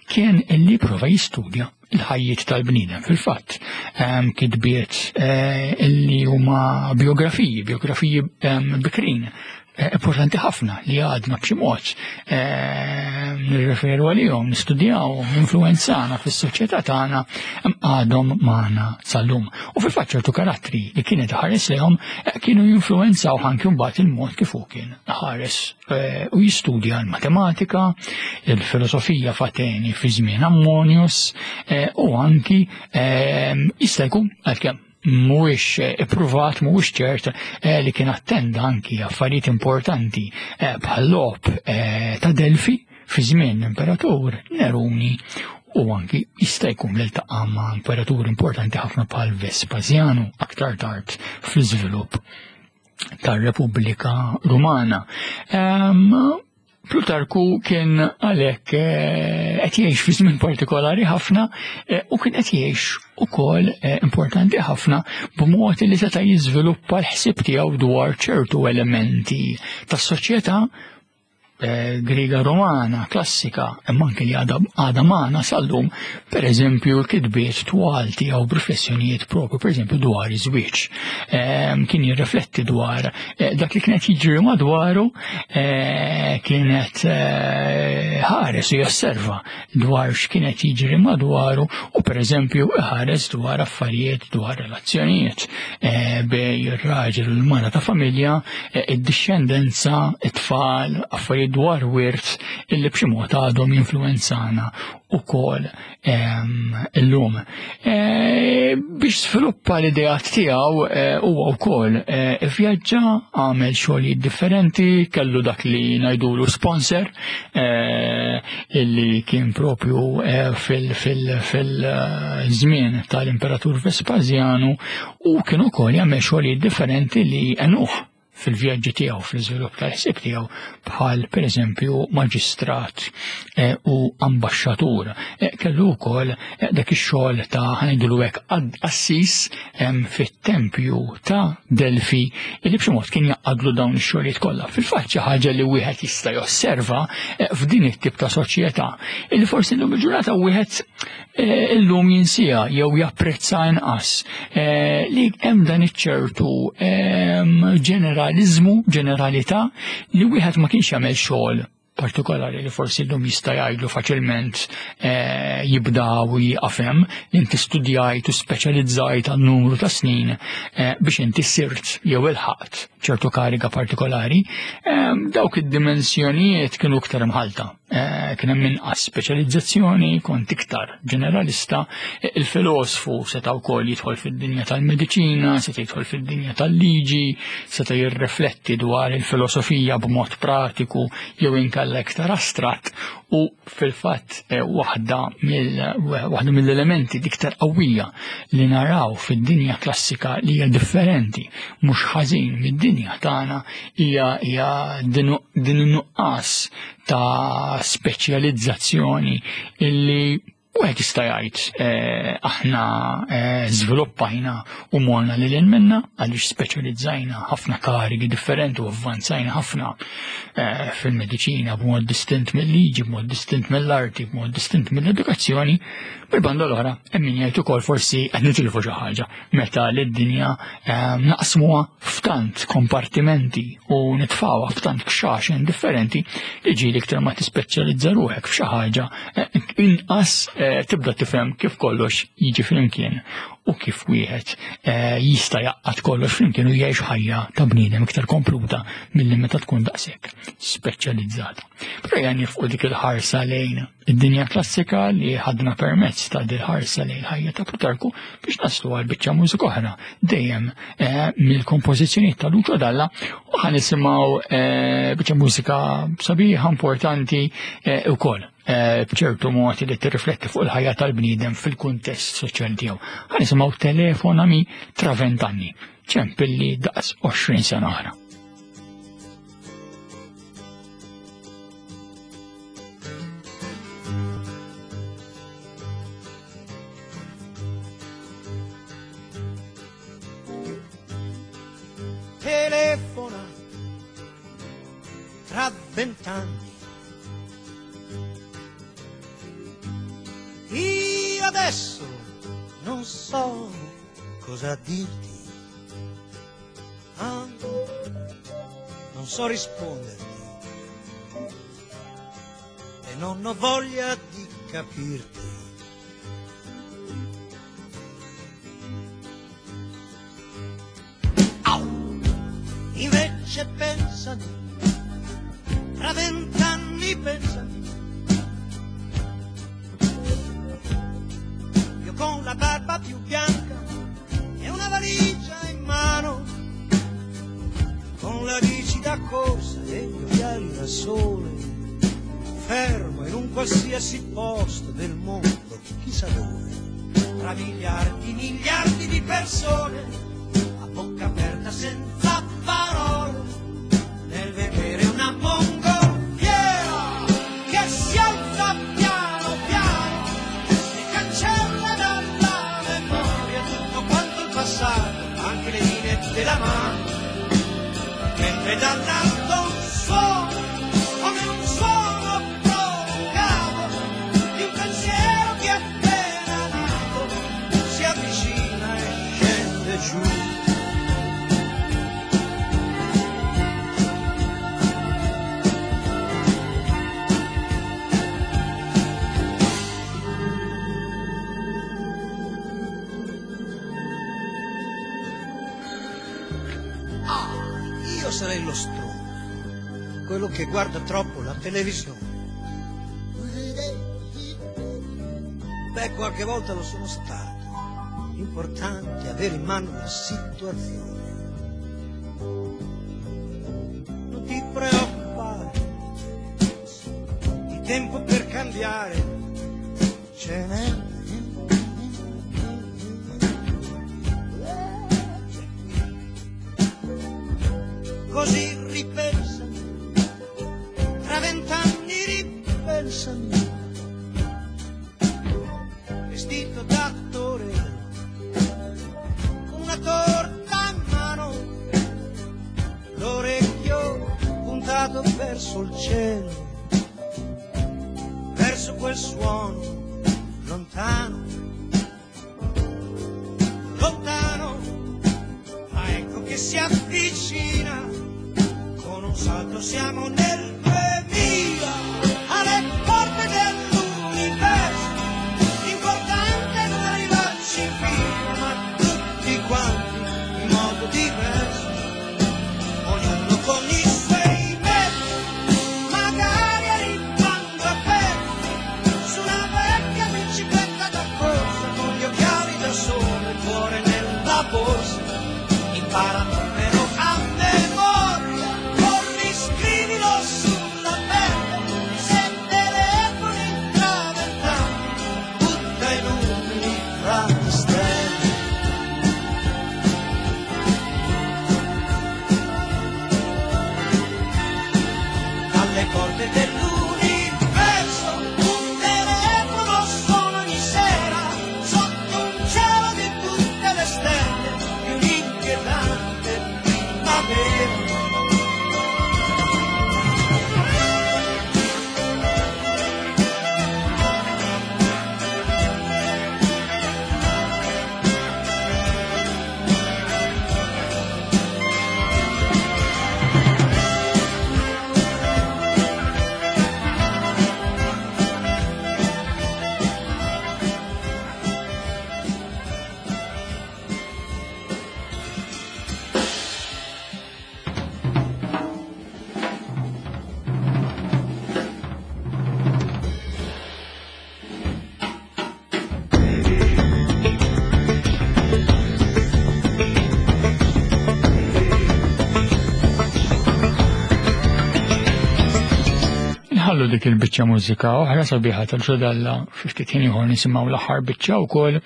kien li prova jistudja il-ħajjiet tal-bniedem fil-fatt. Ehm, kitbiet eh, li huma biografiji, biografiji ehm, bikrin, eh, importanti ħafna li għadna b'xi mod ehm, nirreferu għalihom, nistudjaw, influenzana fis-soċjetà tagħna għadhom magħna sal-lum. U fil-fatt ċertu karattri li kienet ħares lehom eh, kienu jinfluenzaw anki mbagħad il-mod kif hu kien ħares Eh, u jistudja l-matematika, il-filosofija f'Ateni fi żmien Ammonius eh, u anki eh, jista' jkun għalkemm mhuwiex ippruvat, mhuwiex ċert li kien attenda anki affarijiet importanti bħal logħob ta' Delfi fi żmien l-Imperatur Neruni u anki jista' jkun li ltaqa' ma' imperatur importanti ħafna bħal Vespasianu aktar tard fl-iżvilupp tar-Repubblika Rumana. Um, Plutarku kien għalhekk eh, qed jgħix fi żmien partikolari ħafna eh, u kien qed jgħix ukoll eh, importanti ħafna b'mod li seta' jiżviluppa l-ħsieb tiegħu dwar ċertu elementi tas-soċjetà Eh, Griega Romana klassika, imma anke li għadha magħna sal-lum, pereżempju l-kitbiet twal tiegħu b'riflessjonijiet propju, pereżempju dwar iż-żwieġ. Ehm, kien jirrifletti dwar eh, dak li kienet jiġri madwaru, eh, kienet ħares u josserva dwar x'kienet jiġri madwaru u pereżempju ħares dwar affarijiet dwar relazzjonijiet eh, bej ir-raġel u l-mara ta' familja, eh, id-dixxendenza, it-tfal, affarijiet affarijiet dwar wirt illi b'xi mod għadhom jinfluwenzana ukoll illum. Biex sviluppa l-ideat tiegħu huwa wkoll ivvjaġġa, għamel xogħlijiet differenti, kellu dak li ngħidulu sponsor illi kien propju fil-żmien tal-Imperatur Vespasjanu u kien ukoll jagħmel xogħlijiet differenti li għenuh fil-vjaġġi tiegħu, fl-iżvilupp tal-ħsieb tiegħu bħal pereżempju maġistrat eh, u ambaxxatur. Eh, kellu wkoll eh, dak ix-xogħol ta' ħanidulu hekk qassis fit-tempju ta' Delfi li b'xi mod kien jaqadlu dawn ix-xogħlijiet kollha. Fil-fatt xi ħaġa li wieħed jista' josserva f'din it-tip ta' soċjetà illi forsi llum il-ġurnata wieħed illum jinsija jew japprezza inqas li hemm dan iċ-ċertu ġeneraliżmu, ġeneralità li wieħed ma kienx jagħmel xogħol partikolari li forsi llum jista' jgħidlu faċilment jibda u jieqaf hemm, li inti studjajt u speċjalizzajt għal numru ta' snin biex inti sirt jew ilħaqt ċertu kariga partikolari, dawk id-dimensjonijiet kienu iktar imħalta. Kien hemm inqas speċjalizzazzjoni, kont iktar ġeneralista, il-filosfu seta' wkoll jidħol fid-dinja tal-mediċina, seta' jidħol fid-dinja tal-liġi, seta' jirrifletti dwar il-filosofija b'mod pratiku jew inkella iktar astratt u fil-fatt waħda waħda mill-elementi iktar qawwija li naraw fid-dinja klassika li hija differenti mhux ħażin mid-dinja tagħna hija din in-nuqqas ta' speċjalizzazzjoni illi wieħed jista' jgħid eh, aħna eh, żviluppajna u morna lil hinn minna għaliex speċjalizzajna ħafna karigi differenti u avvanzajna ħafna eh, fil-mediċina b'mod distint mill-liġi, b'mod distint mill-arti, b'mod distint mill-edukazzjoni, bil-banda l-oħra hemm min jgħid ukoll forsi qed nitilfu xi ħaġa meta lid-dinja naqsmuha f'tant kompartimenti u nitfgħuha f'tant kxaxen differenti li ġieli iktar ma tispeċjalizza ruħek f'xi ħaġa eh, inqas eh, tibda tifhem kif kollox jiġi flimkien u kif wieħed eh, jista' jaqgħad kollox flimkien u jgħix ħajja ta' bniedem iktar kompluta milli meta tkun daqshekk speċjalizzata. Però jgħan nifqu dik il-ħarsa lejn id-dinja klassika li ħadna permezz ta' dil-ħarsa lejn ħajja ta' Plutarku biex naslu għal biċċa mużika oħra dejjem eh, mill-kompożizzjonijiet ta' Lucio Dalla u ħan nisimgħu eh, biċċa mużika sabiħa importanti eh, ukoll b'ċertu mod li tirrifletti fuq il-ħajja tal-bniedem fil-kuntest soċjali tiegħu. Ħan nisimgħu Telefonami tra vent'anni, ċempilli daqs 20 sena oħra. Telefona tra vent'anni. Io adesso non so cosa dirti. Ah, non so risponderti e non ho voglia di capirti. Au! Invece pensami, tra vent'anni pensami. Io con la barba più bianca e una valigia in mano, con la bici da corsa e gli occhiali da sole, fermo in un qualsiasi posto del mondo, chissà dove, tra miliardi, miliardi di persone, a bocca aperta senza parole, nel vedere una mongolfiera che si alza piano piano e cancella dalla memoria tutto quanto il passato, anche le linee della mano, mentre dall'alto un suono, come un suono prolungato di un pensiero che è appena nato, si avvicina e scende giù. Ah, io sarei lo stronzo. Quello che guarda troppo la televisione. Beh, qualche volta lo sono stato. L'importante è avere in mano la situazione. Non ti preoccupare, di tempo per cambiare ce n'è. Così ripensami, tra 20 anni ripensami, vestito da attore, con una torta in mano, l'orecchio puntato verso il cielo, verso quel suono lontano, lontano, ma ecco che si avvicina, con un salto siamo nel 2000, alle porte dell'universo, l'importante è non arrivarci prima, ma tutti quanti in modo diverso, ognuno con i suoi mezzi, magari arrivando a pezzi, su una vecchia bicicletta da corsa, con gli occhiali da sole, il cuore nella borsa, impara il numero a memoria, o riscrivilo sulla pelle, se telefoni tra 20 anni, butta i numeri fra le stelle. Alle porte dell'universo, un telefono suona ogni sera, sotto un cielo di tutte le stelle, di un'inquietante primavera. Nħallu dik il-biċċa mużika oħra sabiħa tal-ġodalla fi ftit ħin ieħor nisimgħu l-aħħar biċċa wkoll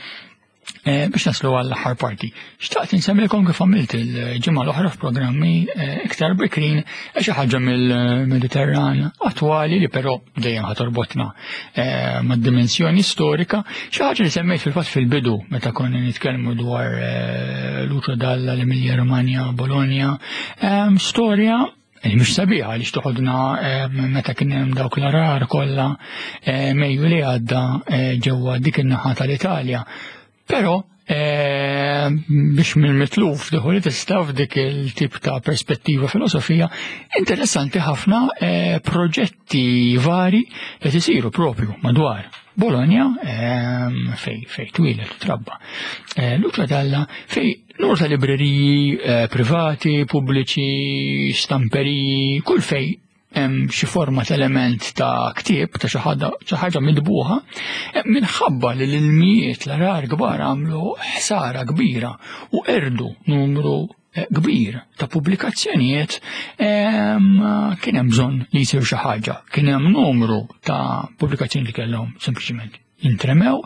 biex naslu għall-aħħar parti. Xtaqt insemmilkom kif għamilt il-ġimgħa l-oħra f'programmi iktar bikrin xi ħaġa mill-Mediterran attwali li però dejjem ħa torbotna mad-dimensjoni storika, xi ħaġa li semmejt fil-fatt fil-bidu meta konna nitkellmu dwar Lucio Dalla, l-Emilia Romagna, Bologna, storja li mhux sabiħa li toħodna meta kien hemm dawk l-arar kollha Mejju li għadda ġewwa dik in-naħa tal-Italja. Però biex mill-mitluf diħu li tista' f'dik il-tip ta' perspettiva filosofija interessanti ħafna proġetti vari li isiru propju madwar Bologna fej twieled u trabba. Lucio Dalla, fej numru ta' libreriji privati, pubbliċi, stamperiji, kull fej hemm xi forma ta' element ta' ktieb ta' xi ħaġa midbuħa, minħabba li l-ilmijiet l-arar kbar għamlu ħsara kbira u erdu numru kbir ta' pubblikazzjonijiet, kien hemm bżonn li jsir xi ħaġa. Kien hemm numru ta' pubblikazzjoni li kellhom sempliċiment jintremew,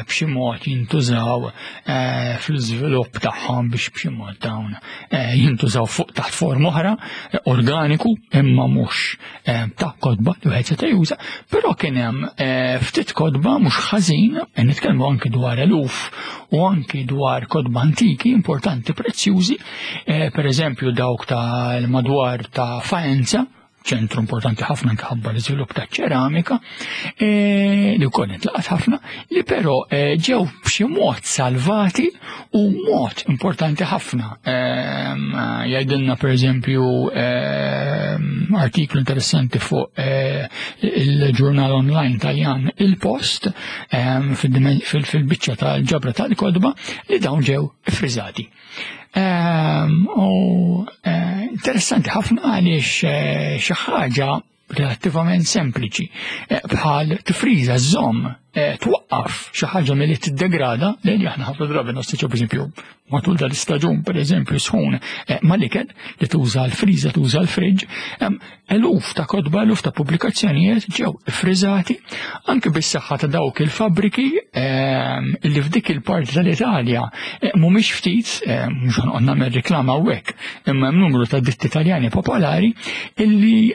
b'xi mod jintużaw fl-iżvilupp tagħhom biex b'xi mod dawn jintużaw fuq taħt forma oħra, organiku, imma mhux ta' kotba li wieħed seta' juża, però kien hemm ftit kotba mhux ħażin, nitkellmu anki dwar eluf u anki dwar kotba antiki importanti prezzjużi, per eżempju dawk tal-madwar ta' Faenza, ċentru importanti ħafna anke ħabba l-iżvilupp ta' ċeramika, li wkoll intlaqat ħafna, li però ġew b'xi mod salvati u mod importanti ħafna. Jgħidilna per eżempju artiklu interessanti fuq il-ġurnal online Taljan Il Post fil-biċċa tal-ġabra tal-kodba li dawn ġew friżati. U Interessanti ħafna għaliex eh, xi ħaġa relattivament sempliċi eh, bħal tifriża żomm eh, twaqqaf xi ħaġa milli tiddegrada li aħna ħafna drabi nastiċu pereżempju matul dal-istaġun pereżempju sħun eh, mal-ikel li tuża l-friża tuża l-friġġ, eluf ta' kotba, eluf ta' pubblikazzjonijiet ġew friżati anke bis-saħħa ta' dawk il-fabbriki li f'dik il-parti tal-Italja mhumiex ftit, mhux ħanqod nagħmel riklama hawnhekk, imma hemm numru ta' ditti Taljani popolari illi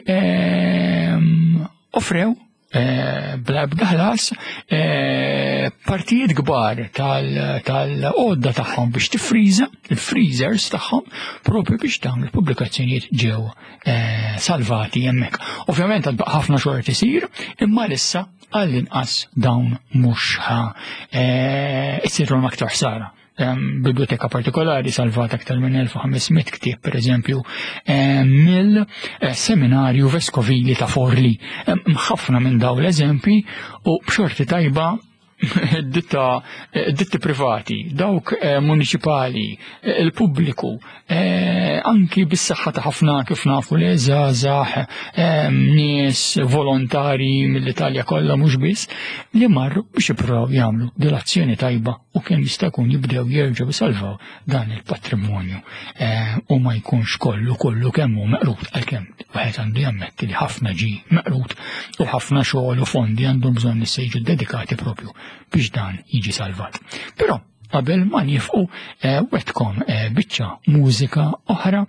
offrew eh, bla ebda ħlas eh, partijiet kbar tal-għodda tagħhom biex tifriża, il-freezers tagħhom, propju biex dawn il-pubblikazzjonijiet ġew eh, salvati hemmhekk. Ovvjament għad ħafna xogħol isir, imma lissa għall-inqas dawn mhux ħa isirhom aktar ħsara biblioteka partikolari salvat aktar minn 1500 ktieb pereżempju mill-seminarju veskovili ta' Forli. Ħafna minn dawn l-eżempji u b'xorti tajba ditta ditti privati, dawk eh, municipali, eh, il-pubbliku, eh, anki bis-saħħa ta' ħafna kif nafu li żgħażagħ nies volontari mill-Italja kollha mhux biss li marru biex jippruvaw jagħmlu dil-azzjoni tajba u kemm jista' jkun jibdew jerġgħu jsalvaw dan il-patrimonju eh, u ma jkunx kollu kollu kemm hu meqrud għalkemm wieħed għandu jammetti li ħafna ġi meqrud u ħafna xogħol u fondi għandhom bżonn issa jiġu dedikati propju biex dan jiġi salvat. Però qabel ma nifqu eh, wetkom eh, biċċa mużika oħra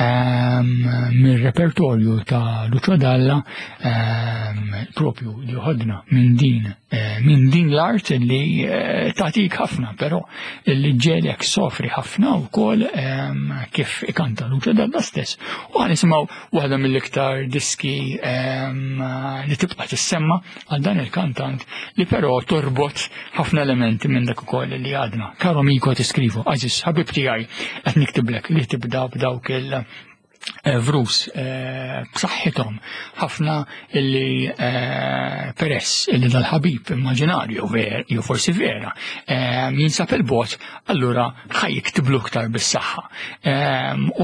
ehm, mir-repertorju ta' Lucio Dalla ehm, propju li ħodna minn din eh, minn din l-art li tagħtik ħafna, però li ġelek sofri ħafna wkoll ehm, kif ikanta Lucio Dalla stess. U għan nisimgħu waħda mill-iktar diski li tibqa' tissemma għal dan il-kantant li però torbot ħafna elementi minn dak ukoll li għadna. Karo Miko tiskrivu, għażiż ħabib tiegħi qed niktiblek li tibda b'dawk il- eh, vrus eh, b'saħħithom ħafna illi eh, peress illi dal-ħabib immaġinarju ver jew forsi vera jinsab il-bot allura ħaj jiktiblu iktar bis-saħħa.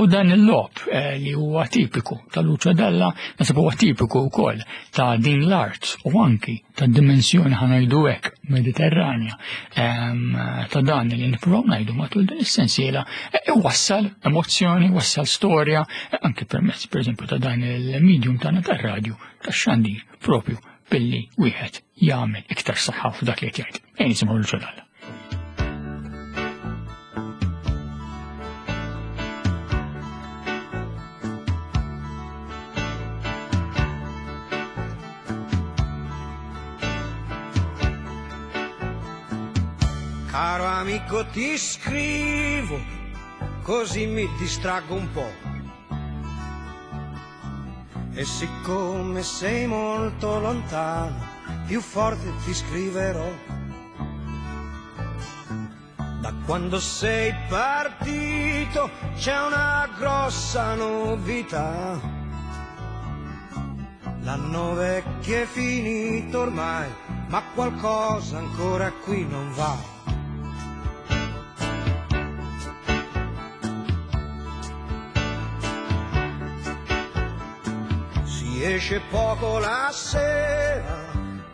U dan il-lob li huwa tipiku tal-Luċa Dalla nasib huwa tipiku wkoll ta' din l-art u anki ta' dimensjoni ħanajdu hekk Mediterranja ta' dan li nippruvaw ngħidu matul din is-sensiela e, iwassal emozzjoni, wassal storja e, anki permezz pereżempju ta' dan il-medium tagħna tar-radju tax-xandir propju billi wieħed jagħmel iktar saħħa f'dak li qed jgħid. Ejn nisimgħu l-ġodalla. Caro amico ti scrivo, così mi distraggo un po'. E siccome sei molto lontano, più forte ti scriverò. Da quando sei partito c'è una grossa novità. L'anno vecchio è finito ormai, ma qualcosa ancora qui non va. Si esce poco la sera,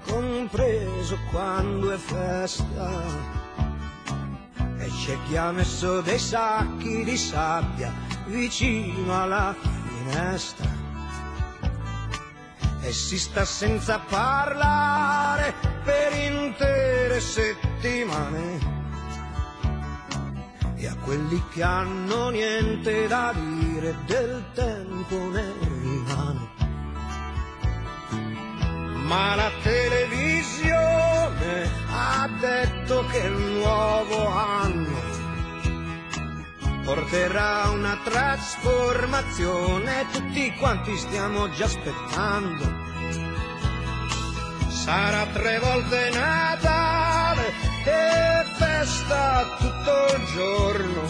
compreso quando è festa. E c'è chi ha messo dei sacchi di sabbia vicino alla finestra. E si sta senza parlare per intere settimane. E a quelli che hanno niente da dire del tempo ne rimane. Ma la televisione ha detto che il nuovo anno porterà una trasformazione, tutti quanti stiamo già aspettando. Sarà tre volte Natale e festa tutto il giorno.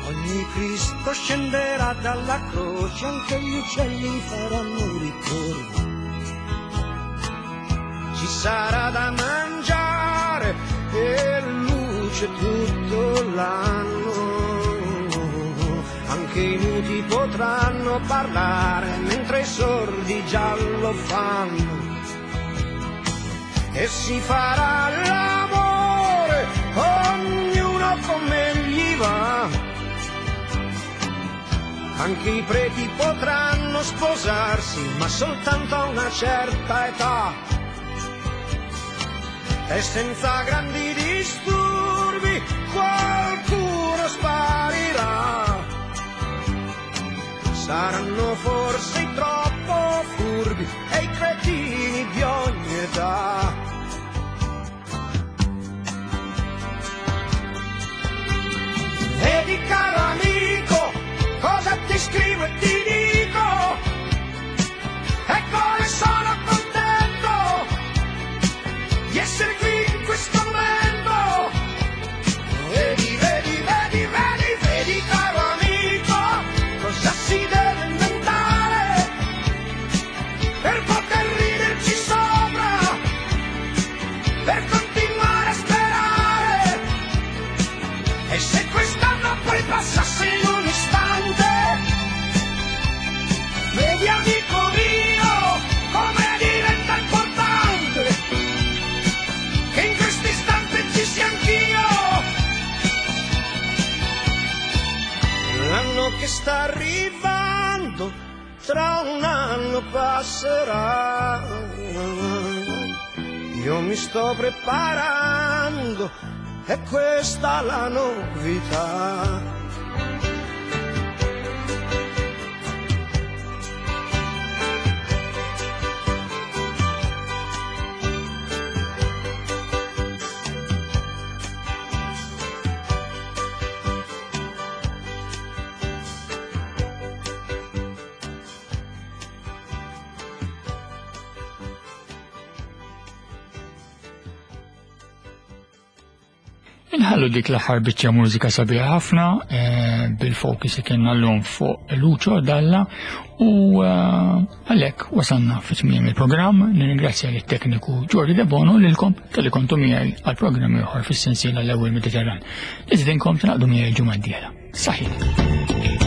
Ogni Cristo scenderà dalla croce, anche gli uccelli faranno ritorno. Ci sarà da mangiare e luce tutto l'anno, anche i muti potranno parlare, mentre i sordi già lo fanno. E si farà l'amore, ognuno come gli va. Anche i preti potranno sposarsi, ma soltanto a una certa età. E senza grandi disturbi qualcuno sparirà. Saranno forse i troppo furbi e i cretini di ogni età. Vedi caro amico, cosa ti scrivo e ti dico, e come sono contento di essere qui in questo momento. Vedi, vedi, vedi, vedi, vedi caro amico, cosa si deve inventare per poter riderci sopra, per continuare a sperare. E se quest'anno poi passasse in un istante, vedi amico mio come diventa importante che in questo istante ci sia anch'io. L'anno che sta arrivando, tra un anno passerà. Io mi sto preparando, e questa la novità. Inħallu dik l-aħħar biċċa mużika sabiħa ħafna eh, bil-focus li kienna l-lum fuq Lucio Dalla u eh, għalhekk wasalna fi tmiem il-programm. Nirringrazzja lit tekniku Jordi De Bono lilkom tal-li kontu miegħi għal programm ieħor fis-sensiela l-ewwel Mediterran. Iżdinkom tingħaqdu miegħi l-ġimgħa d-dieħla. Saħħit.